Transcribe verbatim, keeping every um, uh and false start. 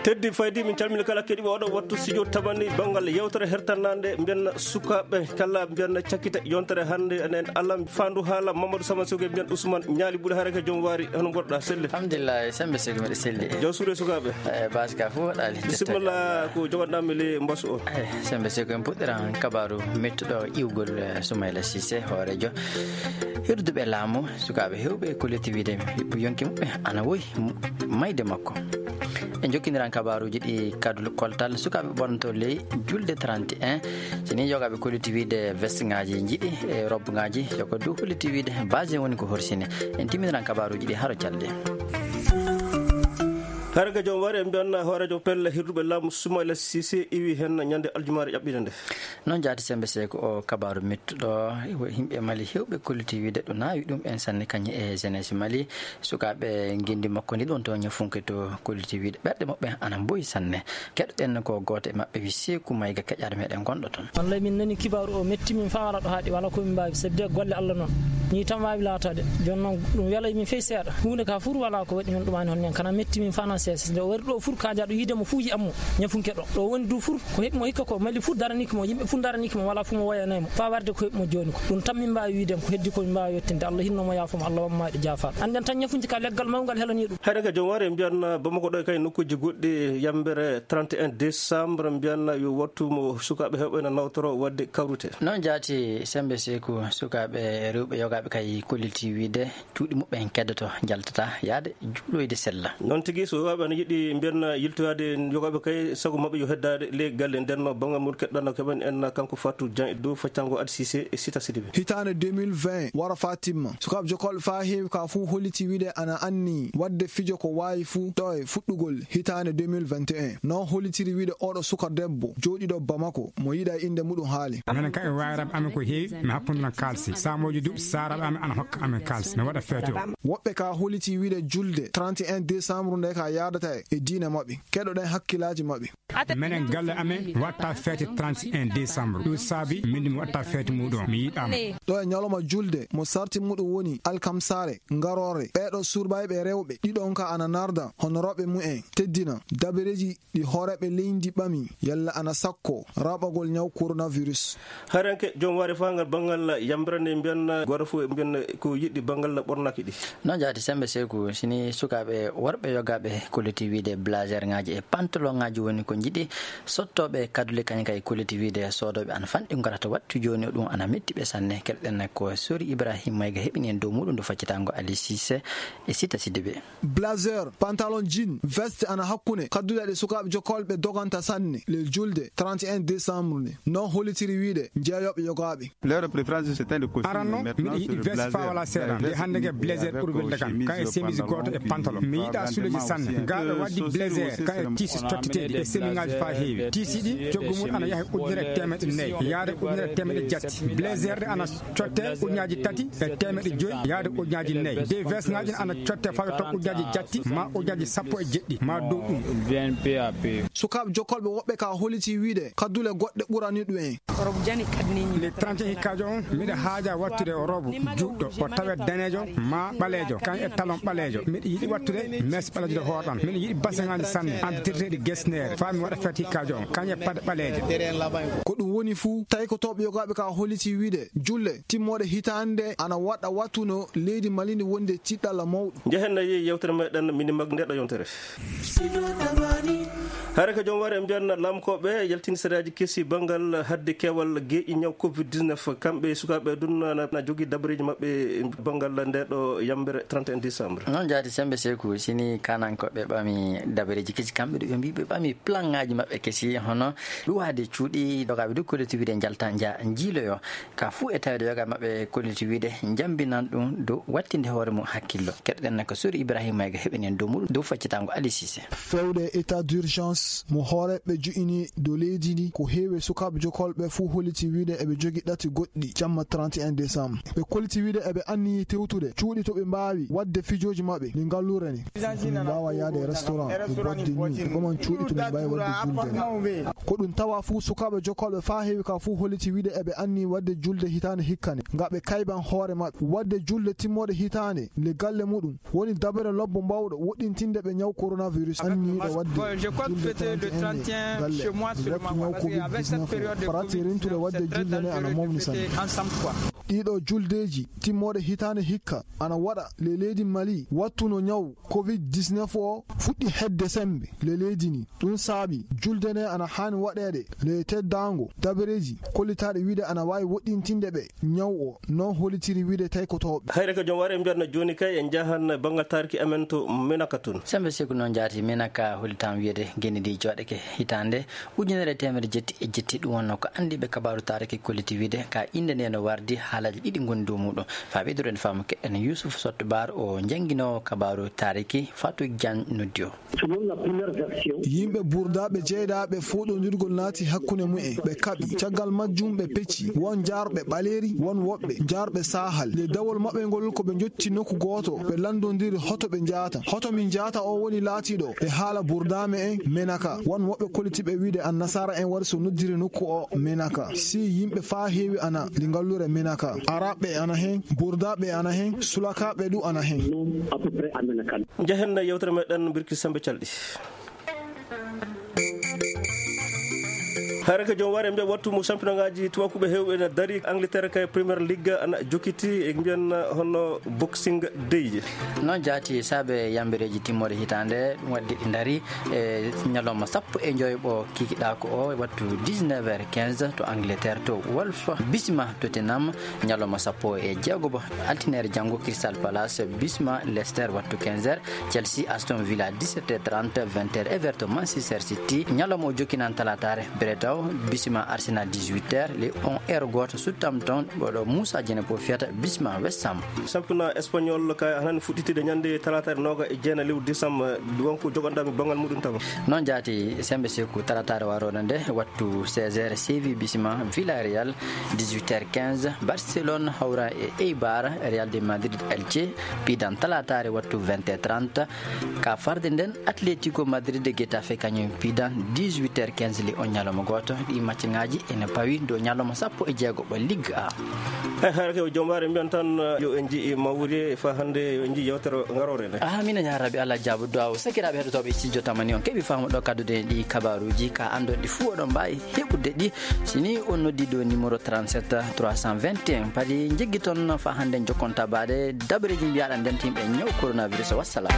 Teddi faydi, min calmini kala keɗiiɓe oɗo wattu studio tamani banngal yewtere hertannande mbiyen sukaaɓe kala mbiyen cakkite yontere hannde enen alam fandu haala Mamadou Sama Soge mbiyen Ousmane Ñaali Ɓuuri Hareke joom waari hono mboɗɗa selli. Alhamdulillah, sembe sego mbiɗa selli. Joom suuɗe sukaaɓe. Eh, baasi ka fof waɗaali. Bisimilla ko jogoɗɗami le mbasu o. Eh, sembe sego en puɗɗiran kabaru mettuɗo iwgol, eh, Soumaïla Cissé hoorejo hirduɓe laamu sukaaɓe hewɓe ko letti wiide yonki muɓɓe ana woyi mayde makko. En jokkindiran kabaaruuji ɗi kadul koltal sukaaɓe ɓornoto ley julde trente et un. So ni yogaaɓe kolliti wiide veste ngaji njiɗi e robe ngaji yoko du kolliti wiide base woni ko horsini. En timminiran kabaaruuji ɗi haro calde. Harga joom wari en mbiyanna hoorejo pelle hirduɓe laamu Soumaïla Cissé iwi hen ñande aljumaare ƴaɓɓiɗe nde. Noon jaati sembe seeko o kabaaru mettuɗo yimɓe Mali hewɓe kolliti wiide ɗo naawi ɗum en sanne kañe e jeunesse Mali. Sukaaɓe ngenndi makko ndi ɗon to ñafunke to kolliti wiide ɓerɗe maɓɓe ana mboyi sanne. Keɗoɗen ko gooto e maɓɓe wi Seeku Mayga keƴaade meɗen gonɗo toon. Wallay min nani kibaaru o metti min faa wala ɗo haaɗi wala ko min mbaawi sabi de golle Allah noon. Nii tan waawi laataade. Jooni noon ɗum welay min fey seeɗa. Huunde ka fur wala ko waɗi min ɗumaani hon ñan kana metti min faa na seesa. Nde o wari ɗo fur ka jaaɗo yiide mo fuu yi'an mo. Ñafunke ɗo. Ɗo woni du fur ko heɓi mo hikka ko Mali fuu daraniiki mo yimɓe fuu daraniiki mo wala fuu mo wayanay mo. Faa warde ko heɓi mo jooni ko. Ɗum tan min mbaawi wiide ko heddi ko min mbaawi yettinde Allah hinno mo yaafo mo Allah wamma e jaafaɗo. Annden tan ñafunji ka leggal mawngal helanii ɗum. Hayre ka joom ware mbiyan Bamako ɗo e kay nokkuuji goɗɗi yambere trente et un décembre mbiyan yo wattu mo sukaaɓe heɓɓe na nawtoro wadde kawrute. Noon jaati sembe seeku sukaaɓe rewɓe yogaaɓe kay kolliti wiide cuuɗi muɓɓen keddoto njaltata yaade juuloyde sella. Noon tigi so yogaaɓe ana yiɗi mbiyan yiltoyaade yogaaɓe kay sago maɓɓe yo heddaade ley galle nden no banngal mum keɗɗano keɓen en kanko Fatou Dieng e dow faccango Adi Cissé e Sita Sidibé. Hitaande deux mille vingt wara faa timma. Sukaaɓe jokolɓe faa heewi ka fuu holliti wiide ana anni wadde fijo ko waawi fuu ɗo e fuɗɗugol hitaande deux mille vingt et un. No hollitiri wiide oɗo suka debbo jooɗiɗo Bamako mo yiɗa innde muɗum haali. Minen kam e wayraaɓe amen ko heewi mi happunduna kaalsi. Saamooji duuɓi saaraaɓe amen ana hokka amen kaalsi. Mi waɗa feeto. Woɓɓe ka holliti wiide julde trente et un décembre nde ka yaadata e diine maɓɓe. Keɗoɗen hakkillaaji maɓɓe. Menen galle amen watta feete trente et un décembre. Ɗum saabi min mi watta feete muɗum mi yiɗama. Ɗo e ñalawma julde mo sarti muɗum woni alkamsaare ngaroore. Ɓeeɗo surbayɓe rewɓe ɗiɗon ka ana narda honorooɓe mumen teddina dabereeji ɗi hooreeɓe leydi ɓami yalla ana sakko raɓagol ñaw coronavirus. Haranke joom ware fangal banngal yambirande mbiyan goto fof mbiyan ko yiɗi banngal ɓornaki ɗi. Noon jaati sembe seeku sini sukaaɓe worɓe yogaaɓe kolliti wiide blazer ngaji e pantalon ngaji woni ko njiɗi. Sottooɓe kadule kañum kay kolliti wiide soodooɓe ana fanɗi ngarata wattu jooni ɗum ana metti ɓe sanne. Keɗoɗen ko sori Ibrahim Mayga heɓini en dow muɗum ndu faccitango Ali Cissé e Sita Sidibé. Blazer pantalon jean veste ana hakkunde kadduɗe ɗe sukaaɓe jokkolɓe doganta sanne le julde trente et un décembre nde. Noon hollitiri wiide jeeyooɓe yogaaɓe. Aranno miɗo yiɗi veste faa wala seeɗa nde hannde ke blazer ɓuri welde kam kan e chemise gooto e pantalon mi yiɗa suleji sanne. Ngal ɓe waddi blazer kan e tisi tottiteeɗi e semiŋaaji faa heewi tisi ɗi coggu mum ana yaha ujunere e teemeɗe nayi yaade ujunere e teemeɗe jatti. Blazer ɗe ana cotte ujunaaji tati e teemeɗe joyi yaade ujunaaji nayi de veste ŋaaji ana cotte faa yotto ujunaaji jatti ma ujunaaji sappo e jeɗɗi ma dow ɗum. Sukaaɓe jokkolɓe woɓɓe ka holliti wiide kaddule goɗɗe ɓurani ɗum en. Le trente hikkaajo on miɗa haaja wattude o robo juɗɗo o tawe daneejo ma ɓaleejo kan e talon ɓaleejo miɗa yiɗi wattude mes ɓaleejo de hoorɗan miɗa yiɗi baseŋaaji sanne anditirteeɗi gesneere faa mi waɗa feet hikkaajo on kan e paɗe ɓaleeje. Ko ɗum woni fuu taykotooɓe yogaaɓe ka holliti wiide julle timmooɗe hitaande ana waɗa wattu no leydi Mali ndi wonde tiɗɗalla mawɗo. Njehen nayi yewtere meɗen mini mag ndeɗo yontere. Hare ko joom ware mbiyan lamkoɓe yaltini sariyaaji kesi banngal hadde keewal geeƴi ñaw covid dix-neuf kamɓe sukaaɓe dun na jogi dabareeji maɓɓe banngal ndeɗo yambere trente et un décembre. Noon jaati sembe seeku sini kanankoɓe ɓami dabareeji kesi kamɓe ɗo ɓe mbi ɓe ɓami plan ngaji maɓɓe kesi hono luwaade cuuɗi dogaaɓe du kolliti wiide njalta nja njiiloyo ka fuu e tawde yoga maɓɓe kolliti wiide njambinan ɗum dow wattinde hoore mum hakkillo. Keɗoɗen ko sori Ibrahima Mayga heɓini en dow muɗum dow faccitango Ali Cissé. Fewde état d'urgence mo hooreɓe jo'ini dow leydi ndi ko heewi sukaaɓe jokolɓe fuu holliti wiide eɓe jogi ɗati goɗɗi jamma trente et un décembre. Ɓe kolliti wiide eɓe anniyi tewtude cuuɗi to ɓe mbaawi waɗde fijooji maɓɓe ɗi ngalluure ni. Mbaawa Waɗde restaurant e boîte de nuit e ɓaman cuuɗi to min mbaawi waɗde julde nde. Ko ɗum tawa fuu sukaaɓe jokkolɓe faa heewi ka fuu holliti wiide eɓe anni waɗde julde hitaande hikka nde, nga ɓe kayban hoore maɓɓe. Waɗde julde timmode hitaande le galle muɗum woni dabere lobbo mbawɗo woɗɗintinde ɓe ñaw coronavirus. Anniiɗo waɗde julde trente et un le galle, wattu ñaw covid dix-neuf o, farati rentude waɗde julde nde ana mawni sanne. Ɗiɗo juldeeji timmode hitaande hikka ana waɗa le leydi Mali, wattu no ñaw covid dix-neuf o fuɗɗi hedde sembe le leydi ni. Ɗum saabi julde nde ana haani waɗeede le teddaango dabareeji kollitaaɗi wiide ana waawi woɗɗintinde ɓe ñaw o, non hollitiri wiide taykotooɓe. Hayre ko joom ware mbiyatno jooni kay en njahan banngal taariki amen to Menaka tun. Sembe Seku, noon jaati. Menaka hollitam wiyeede geni ndi jooɗake hitaande ujunere e teemedde jetti e jetti. Ɗum wonno ko anndiiɓe kabaaru taariki kolliti wiide ka innde nde no wardi haalaaji ɗiɗi ngoni dow muɗum. Faa ɓeyduren faamu keɗen Yusuf Sotto Baar o jannginoowo kabaaru taariki Fatou Diagne noddi o. Selon la première version, yimɓe burdaaɓe jeyɗaaɓe fooɗondirgol naati hakkunde mumen, ɓe kaɓi. Caggal majjum ɓe pecci, won jaarɓe ɓaleeri, won woɓɓe jaarɓe saahal. Le dawol maɓɓe ngol ko ɓe njotti nokku gooto, ɓe lanndondiri hoto ɓe njaata. Hoto min njaata o woni laatiiɗo e haala burdaa me'en Menaka. Won woɓɓe kollitiiɓe wiide annasaara en wari so noddiri nokku o Menaka. Si yimɓe faa heewi ana li ngallure Menaka. Araɓɓe ana hen, burdaaɓe ana hen, sulakaaɓe du ana hen. Nom à peu près à Menaka. Njahen yewtere meɗen birki sembe calɗi. Haraka joom ware mbiya wattu mo championnat ngaji tubakuɓe hewɓe na dari. Angleterre kay Premier League ana jokiti e mbiyan hono Boxing Day. Noon jaati saabe yambireeji timmoode hitaande, ɗum waɗi ɗi ndari e ñalawma sappo e joy ɓo kikiɗaako o, wattu dix-neuf heures quinze to Angleterre to Wolf Bisma Tottenham, ñalawma sappo e jeego bo altineere janngo Crystal Palace Bisma Leicester wattu quinze heures, Chelsea Aston Villa dix-sept heures trente, vingt heures Everton Manchester City, ñalawma o jokkinan talaataare Bretaw Bisma Arsenal dix-huit heures, le on heure gooto Southampton ɓoɗo Moussa Dieng ko fiyata Bisma West Ham. Championnat espagnol ka hanan fuɗɗitide ñande talaataare nooga e jeena lewru décembre, wonko jogonɗami banngal muɗum tama. Noon jaati sembe seku talaataare waroɗo nde wattu seize heures Séville Bisma Villarreal, dix-huit heures quinze Barcelone hawra e Eibar, Real de Madrid Elche pidan talaataare wattu vingt heures trente. Ka farde nden Atletico Madrid Getafe kañum pidan dix-huit heures quinze li on ñalawma gooto. Ɗi match ngaji ene pawi dow ñalawma sappo e jeego ɓo Ligue A. E haara ke o joom waare mbiyan tan yo en jii mawri fa hannde yo en jii yewtere ngaroore nde. Amina ya rabbi, Allah jaabo du'a o. Sakiraaɓe heɗotooɓe studio tamani on keɓi faamu ɗo kaddude ɗi kabaruuji ka anndon ɗi fuu oɗon mbaawi heɓude ɗi. Si ni on noddi ɗo numéro trente-sept trois cent vingt et un, padi jiggi toon fa hannde jokkonta baade dabareeji mbiyaɗa nden timɓe ñaw coronavirus. Wassalam.